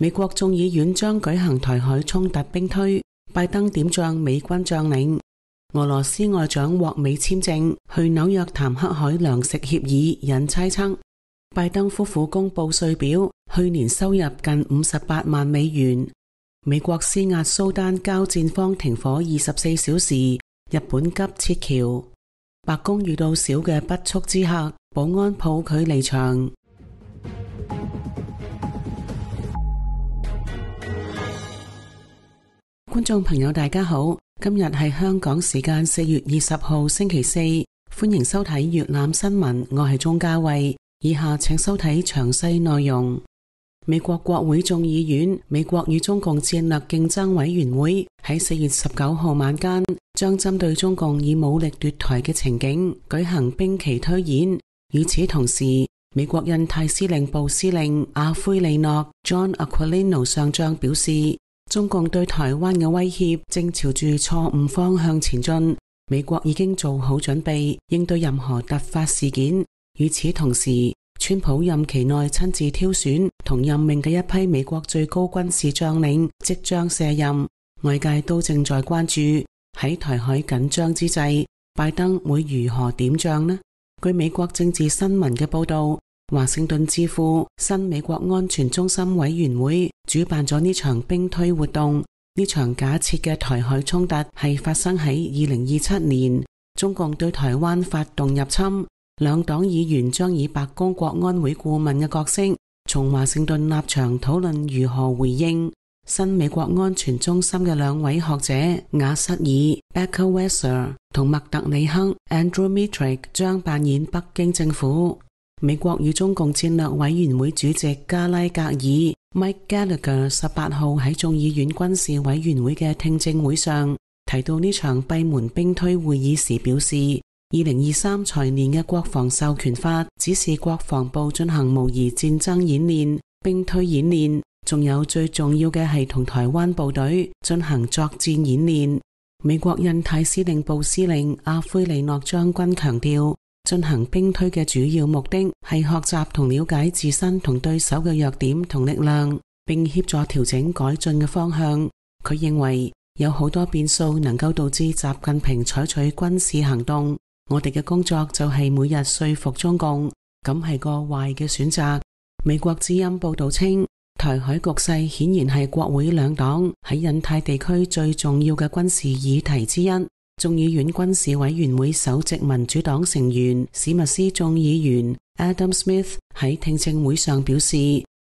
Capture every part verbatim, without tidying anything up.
美國眾議院將舉行台海衝突兵推，拜登點將美軍將領。俄羅斯外長獲美簽證去紐約談黑海糧食協議，引猜測。拜登夫婦公布稅表，去年收入近五十八萬美元。美國施壓蘇丹交戰方停火二十四小時，日本急撤僑。白宮遇到小嘅不速之客，保安抱距離場。觀眾朋友大家好，今日係香港時間四月二十號星期四，歡迎收睇粵覽新聞，我係鍾嘉慧。以下請收睇詳細內容。美國國會眾議院美國與中共戰略競爭委員會喺四月十九號晚間將針對中共以武力奪台嘅情景舉行兵棋推演。與此同時，美國印太司令部司令阿奎利諾 John Aquilino 上將表示，中共對台灣嘅威脅正朝住錯誤方向前進，美國已經做好準備應對任何突發事件。與此同時，川普任期內親自挑選同任命嘅一批美國最高軍事將領即將卸任，外界都正在關注喺台海緊張之際，拜登會如何點將呢？據美國政治新聞嘅報道，華盛頓智庫新美國安全中心委員會主辦咗呢場兵推活動。呢場假設嘅台海衝突係發生喺二零二七年，中共對台灣發動入侵。兩黨議員將以白宮國安會顧問嘅角色，從華盛頓立場討論如何回應。新美國安全中心嘅兩位學者雅瑟爾 Becker Weiser 同麥特里克 Andrew Mitrick 將扮演北京政府。美國與中共戰略委員會主席加拉格爾 Mike Gallagher 十八號喺眾議院軍事委員會嘅聽證會上提到呢場閉門兵推會議時表示，二零二三財年嘅國防授權法指示國防部進行模擬戰爭演練、兵推演練，仲有最重要嘅係同台灣部隊進行作戰演練。美國印太司令部司令阿奎利諾將軍強調，進行兵推嘅主要目的係學習同了解自身同對手嘅弱點同力量，並協助調整改進嘅方向。佢認為有好多變數能夠導致習近平採取軍事行動。我哋嘅工作就係每日說服中共，咁係個壞嘅選擇。美國之音報道稱，台海局勢顯然係國會兩黨喺印太地區最重要嘅軍事議題之一。眾議院軍事委員會首席民主黨成員史密斯眾議員 Adam Smith 喺聽證會上表示，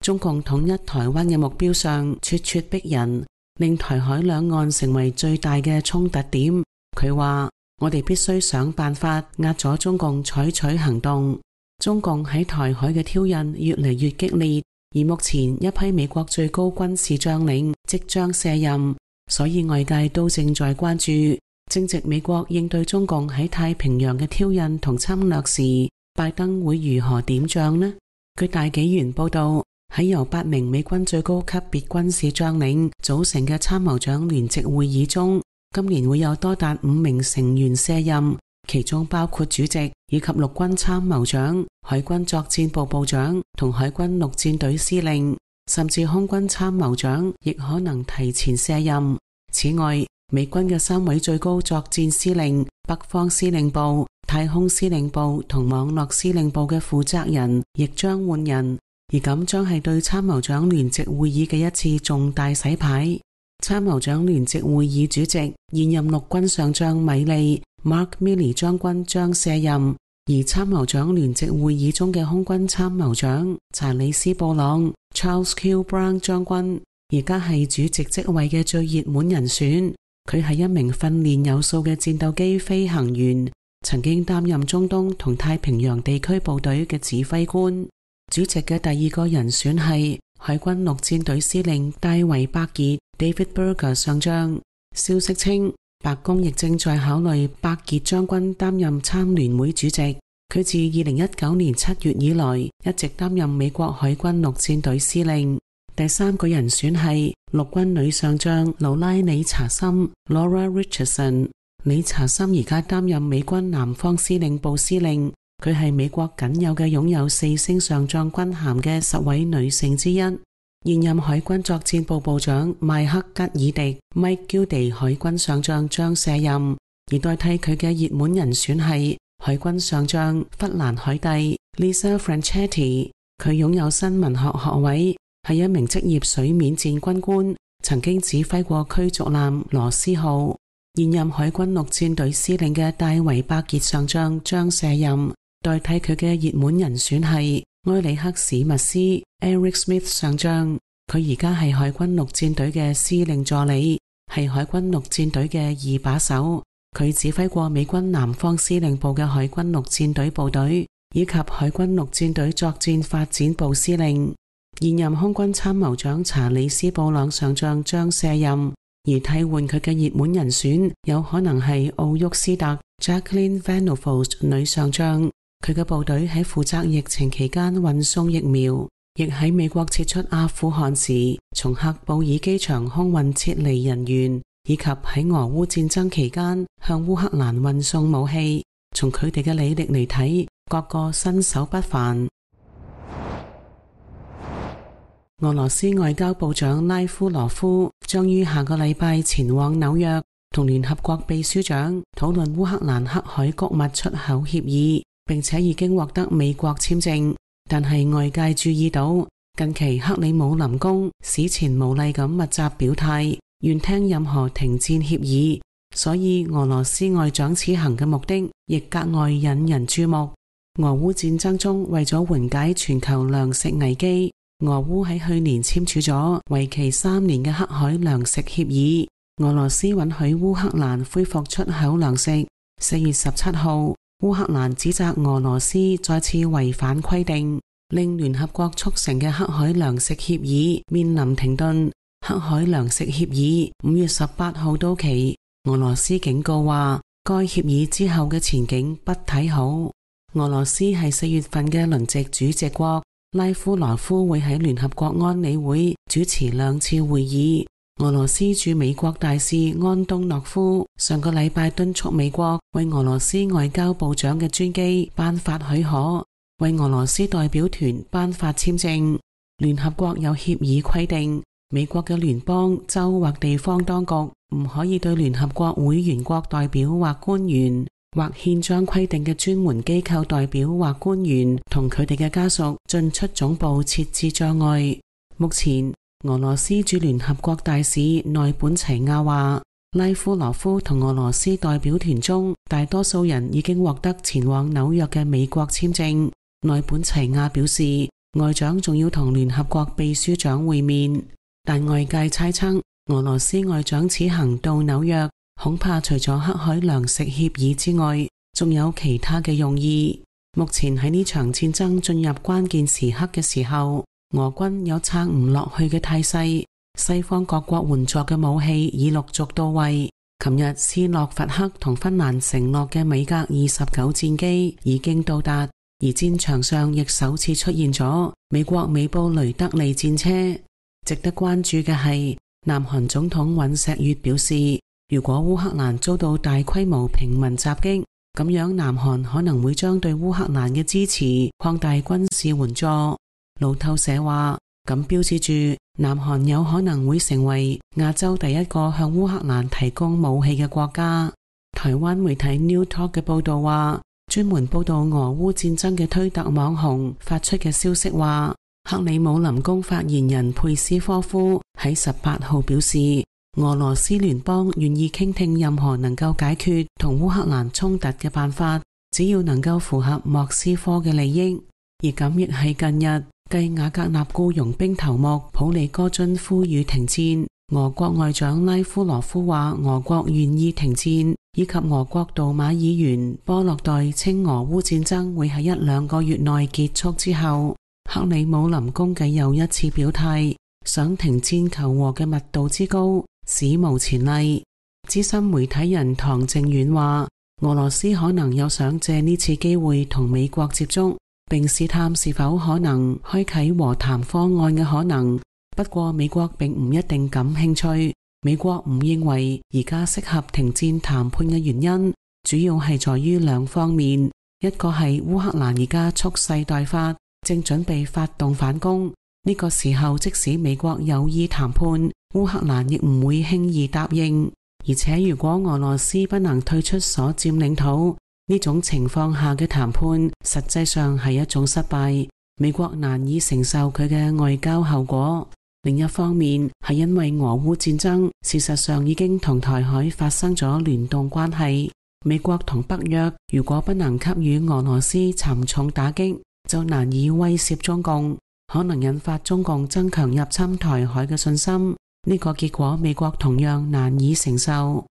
中共統一台灣嘅目標上咄咄逼人，令台海兩岸成為最大嘅衝突點。佢話，我哋必須想辦法壓咗中共採取行動。中共喺台海嘅挑釁越嚟越激烈，而目前一批美國最高軍事將領即將卸任，所以外界都正在關注，正值美國應對中共喺太平洋嘅挑釁同侵略時，拜登會如何點將呢？據大紀元報道，喺由八名美軍最高級別軍事將領組成嘅參謀長聯席會議中，今年會有多達五名成員卸任，其中包括主席以及陸軍參謀長、海軍作戰部部長同海軍陸戰隊司令，甚至空軍參謀長亦可能提前卸任。此外，美軍嘅三位最高作戰司令、北方司令部、太空司令部同網絡司令部嘅負責人亦將換人，而咁將係對參謀長聯席會議嘅一次重大洗牌。參謀長聯席會議主席現任陸軍上將米利 Mark Milley 將軍將卸任，而參謀長聯席會議中嘅空軍參謀長查理斯布朗 Charles Q Brown 將軍而家係主席職位嘅最熱門人選。佢係一名訓練有素嘅戰鬥機飛行員，曾經擔任中東同太平洋地區部隊嘅指揮官。主席嘅第二個人選係海軍陸戰隊司令戴維伯傑 David Berger 上將。消息稱，白宮亦正在考慮伯傑將軍擔任參聯會主席。佢自二零一九年七月以來一直擔任美國海軍陸戰隊司令。第三個人選係陸軍女上將勞拉理查森 Laura Richardson。理查森而家擔任美軍南方司令部司令，佢係美國僅有嘅擁有四星上將軍銜嘅十位女性之一。現任海軍作戰部部長邁克吉爾迪 Mike Gilday 海軍上將將卸任，而代替佢嘅熱門人選係海軍上將弗蘭海蒂 Lisa Franchetti。佢擁有新聞學學位，係一名職業水面戰軍官，曾經指揮過驅逐艦羅斯號。現任海軍陸戰隊司令嘅戴維伯傑上將將卸任，代替佢嘅熱門人選係埃里克史密斯 Eric Smith 上將。佢而家係海軍陸戰隊嘅司令助理，係海軍陸戰隊嘅二把手。佢指揮過美軍南方司令部嘅海軍陸戰隊部隊，以及海軍陸戰隊作戰發展部司令。現任空軍參謀長查理斯布朗上將將卸任，而替換佢嘅熱門人選有可能係奧沃斯特 Jacqueline Van Novost 女上將。佢嘅部隊喺負責疫情期間運送疫苗，亦喺美國撤出阿富汗時從喀布爾機場空運撤離人員，以及喺俄烏戰爭期間向烏克蘭運送武器。從佢哋嘅履歷嚟睇，各個身手不凡。俄羅斯外交部長拉夫羅夫將於下個禮拜前往紐約，同聯合國秘書長討論烏克蘭黑海穀物出口協議，並且已經獲得美國簽證。但係外界注意到，近期克里姆林宮史前無例咁密集表態，願聽任何停戰協議，所以俄羅斯外長此行嘅目的亦格外引人注目。俄烏戰爭中，為咗緩解全球糧食危機，俄烏喺去年簽署咗為期三年嘅黑海糧食協議，俄羅斯允許烏克蘭恢復出口糧食。四月十七號，烏克蘭指責俄羅斯再次違反規定，令聯合國促成嘅黑海糧食協議面臨停頓。黑海糧食協議五月十八號到期，俄羅斯警告話，該協議之後嘅前景不睇好。俄羅斯係四月份嘅輪值主席國。拉夫羅夫會喺聯合國安理會主持兩次會議。俄羅斯駐美國大使安東諾夫上個禮拜敦促美國為俄羅斯外交部長嘅專機頒發許可，為俄羅斯代表團頒發簽證。聯合國有協議規定，美國嘅聯邦、州或地方當局唔可以對聯合國會員國代表或官員，或憲章規定嘅專門機構代表或官員同佢哋嘅家屬進出總部設置障礙。目前，俄羅斯駐聯合國大使內本齊亞話，拉夫羅夫同俄羅斯代表團中大多數人已經獲得前往紐約嘅美國簽證。內本齊亞表示，外長仲要同聯合國秘書長會面，但外界猜測俄羅斯外長此行到紐約，恐怕除咗黑海糧食協議之外，仲有其他嘅用意。目前喺呢場戰爭進入關鍵時刻嘅時候，俄軍有撐唔落去嘅態勢，西方各國援助嘅武器已陸續到位。琴日斯洛伐克同芬蘭承諾嘅米格二十九戰機已經到達，而戰場上亦首次出現咗美國美布雷德利戰車。值得關注嘅係，南韓總統尹錫悅表示，如果烏克蘭遭到大規模平民襲擊，咁樣南韓可能會將對烏克蘭嘅支持擴大軍事援助。路透社話，咁標誌住南韓有可能會成為亞洲第一個向烏克蘭提供武器嘅國家。台灣媒體 New Talk 嘅報道話，專門報道俄烏戰爭嘅推特網紅發出嘅消息話，克里姆林宮發言人佩斯科夫喺十八號表示，俄羅斯聯邦願意傾聽任何能夠解決同烏克蘭衝突嘅辦法，只要能夠符合莫斯科嘅利益。而咁亦係近日繼瓦格納僱傭兵頭目普里戈津呼籲停戰，俄國外長拉夫羅夫話俄國願意停戰，以及俄國杜馬議員波洛代稱俄烏戰爭會喺一兩個月內結束之後，克里姆林宮繼又一次表態，想停戰求和嘅密度之高史無前例。資深媒體人唐正遠話，俄羅斯可能有想借呢次機會同美國接觸，並試探是否可能開啟和談方案嘅可能。不過美國並唔一定感興趣。美國唔認為而家適合停戰談判嘅原因，主要係在於兩方面。一個係烏克蘭而家蓄勢待發，正準備發動反攻，呢個時候即使美國有意談判，烏克蘭亦唔會輕易答應。而且如果俄羅斯不能退出所佔領土，呢種情況下嘅談判實際上係一種失敗，美國難以承受佢嘅外交後果。另一方面係因為俄烏戰爭事實上已經同台海發生咗聯動關係，美國同北約如果不能給予俄羅斯沉重打擊，就難以威懾中共，可能引發中共增強入侵台海嘅信心。呢個結果美國同樣難以承受。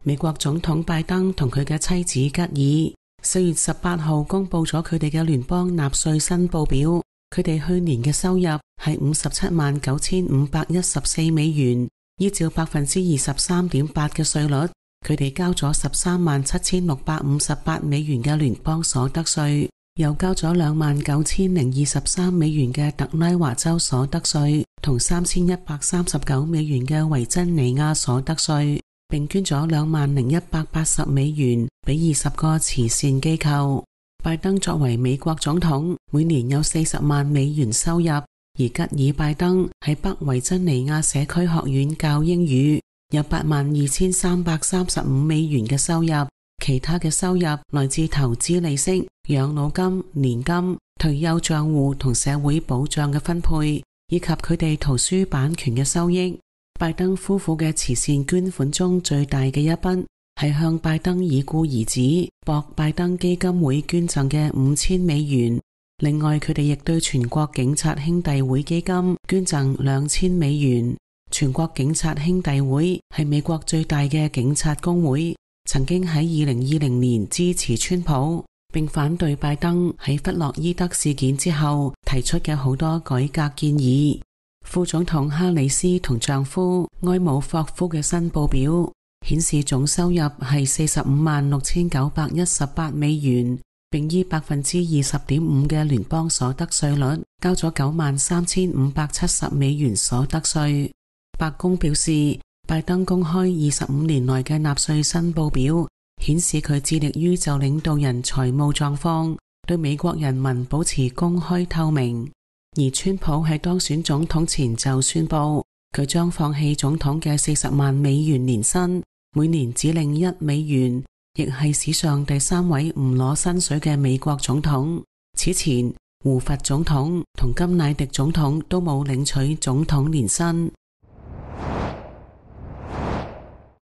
美國總統拜登同佢嘅妻子吉爾四月十八號公布咗佢哋嘅聯邦納稅申報表，佢哋去年嘅收入係五十七萬九千五百一十四美元，依照百分之二十三點八嘅稅率，佢哋交咗十三萬七千六百五十八美元嘅聯邦所得稅，又交咗兩萬九千零二十三美元嘅特拉華州所得稅，同三千一百三十九美元嘅維珍尼亞所得稅，並捐咗兩萬零一百八十美元俾二十個慈善機構。拜登作為美國總統，每年有四十萬美元收入，而吉爾拜登喺北維珍尼亞社區學院教英語，有八萬二千三百三十五美元嘅收入，其他嘅收入來自投資利息、養老金、年金、退休賬戶同社會保障嘅分配，以及佢哋圖書版權嘅收益。拜登夫婦嘅慈善捐款中最大嘅一筆係向拜登已故兒子博拜登基金會捐贈嘅五千美元。另外，佢哋亦對全國警察兄弟會基金捐贈兩千美元。全國警察兄弟會係美國最大嘅警察工會，曾經喺二零二零年支持川普，並反對拜登喺弗洛伊德事件之後提出嘅好多改革建議。副總統哈里斯同丈夫埃姆霍夫嘅申報表顯示總收入係四十五萬六千九百一十八美元，並以百分之二十點五嘅聯邦所得稅率交咗九萬三千五百七十美元所得稅。白宮表示，拜登公開二十五年來嘅納稅申報表，顯示佢致力於就領導人財務狀況對美國人民保持公開透明。而川普喺當選總統前就宣布，佢將放棄總統嘅四十萬美元年薪，每年只領一美元，亦係史上第三位唔攞薪水嘅美國總統。此前，胡佛總統同甘迺迪總統都冇領取總統年薪。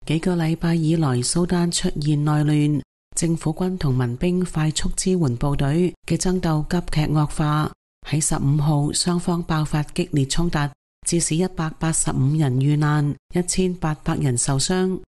幾個禮拜以來，蘇丹出現內亂，政府軍同民兵快速支援部隊嘅爭鬥急劇惡化。喺十五號，雙方爆發激烈衝突，致使一百八十五人遇難，一千八百人受傷。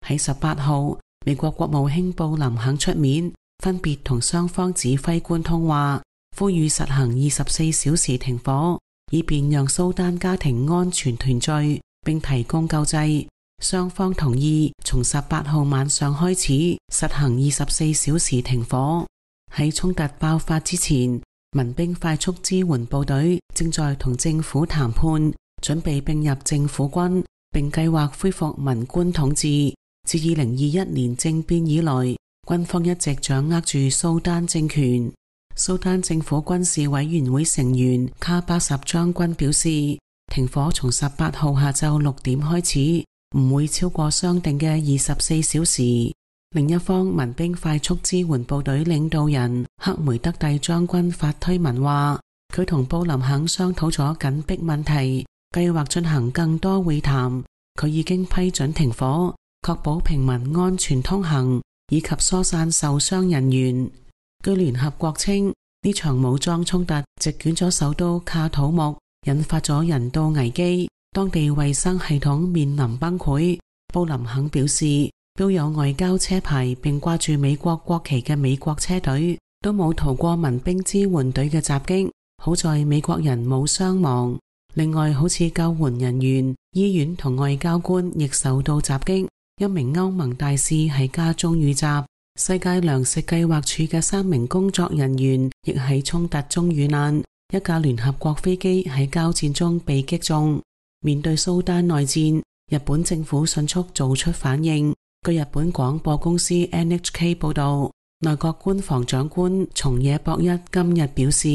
喺十八號，美國國務卿布林肯出面，分別同雙方指揮官通話，呼籲實行二十四小時停火，以便讓蘇丹家庭安全團聚，並提供救濟。雙方同意從十八號晚上開始實行二十四小時停火。喺衝突爆發之前，民兵快速支援部隊正在同政府談判，準備併入政府軍，並計劃恢復文官統治。自二零二一年政變以來，軍方一直掌握住蘇丹政權。蘇丹政府軍事委員會成員卡巴什將軍表示，停火從十八號下晝六點開始，唔會超過商定嘅二十四小時。另一方，民兵快速支援部隊領導人克梅德蒂將軍發推文話，佢同布林肯商討咗緊迫問題，計劃進行更多會談。佢已經批准停火，確保平民安全通行，以及疏散受傷人員。據聯合國稱，呢場武裝衝突席捲咗首都卡土木，引發咗人道危機，當地衛生系統面臨崩潰。布林肯表示，標有外交車牌並掛住美國國旗嘅美國車隊都冇逃過民兵支援隊嘅襲擊，好在美國人冇傷亡。另外，好似救援人員、醫院同外交官亦受到襲擊，一名歐盟大使喺家中遇襲。世界糧食計劃署嘅三名工作人員亦喺衝突中遇難，一架聯合國飛機喺交戰中被擊中。面對蘇丹內戰，日本政府迅速做出反應。據日本廣播公司 N H K 報道，內閣官房長官松野博一今日表示，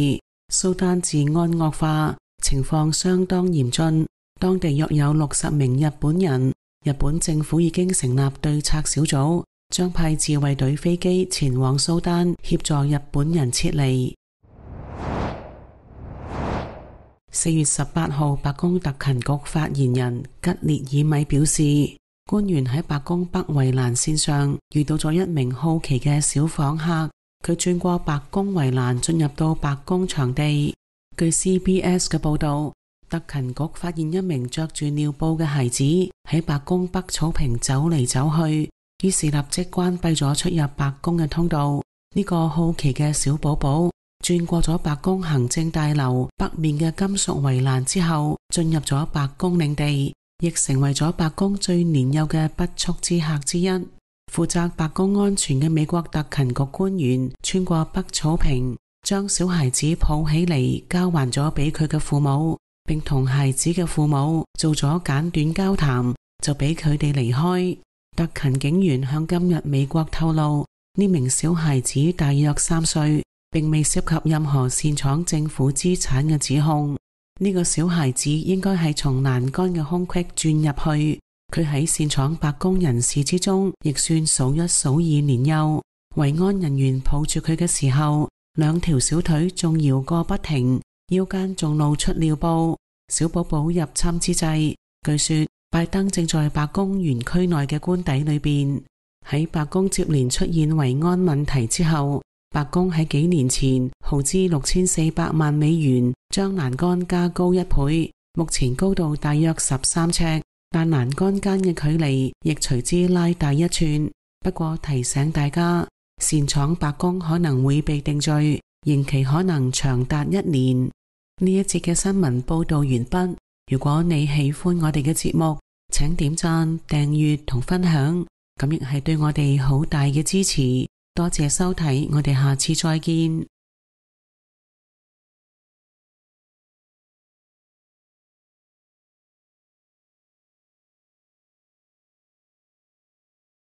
蘇丹治安惡化，情況相當嚴峻，當地約有六十名日本人。日本政府已經成立對策小組，將派自衛隊飛機前往蘇丹協助日本人撤離。四月十八號，白宮特勤局發言人吉列爾米表示，官員喺白宮北圍欄線上遇到咗一名好奇嘅小訪客，佢轉過白宮圍欄進入到白宮場地。據 C B S 嘅報道，特勤局發現一名着住尿布嘅孩子喺白宮北草坪走嚟走去，於是立即關閉咗出入白宮嘅通道。呢個好奇嘅小寶寶轉過咗白宮行政大樓北面嘅金屬圍欄之後，進入咗白宮領地，亦成為咗白宮最年幼嘅不速之客之一。負責白宮安全嘅美國特勤局官員穿過北草坪，將小孩子抱起嚟交還咗俾佢嘅父母，並同孩子嘅父母做咗簡短交談，就俾佢哋離開。特勤警員向今日美國透露，呢名小孩子大約三歲，並未涉及任何擅闖政府資產嘅指控。呢個小孩子應該係從欄杆嘅空隙鑽入去，佢喺擅闖白宮人士之中亦算數一數二年幼。維安人員抱住佢嘅時候，兩條小腿仲搖個不停，腰間仲露出尿布。小寶寶入侵之際，據說拜登正在白宮園區內嘅官邸裏邊。喺白宮接連出現維安問題之後，白宮喺幾年前耗資六千四百萬美元將欄杆加高一倍，目前高度大約十三尺，但欄杆間嘅距離亦隨之拉大一寸。不過提醒大家，擅闖白宮可能會被定罪，刑期可能長達一年。呢一節嘅新聞報道完畢。如果你喜歡我哋嘅節目，請點讚、訂閱同分享，咁亦係對我哋好大嘅支持。多謝收睇，我哋下次再見。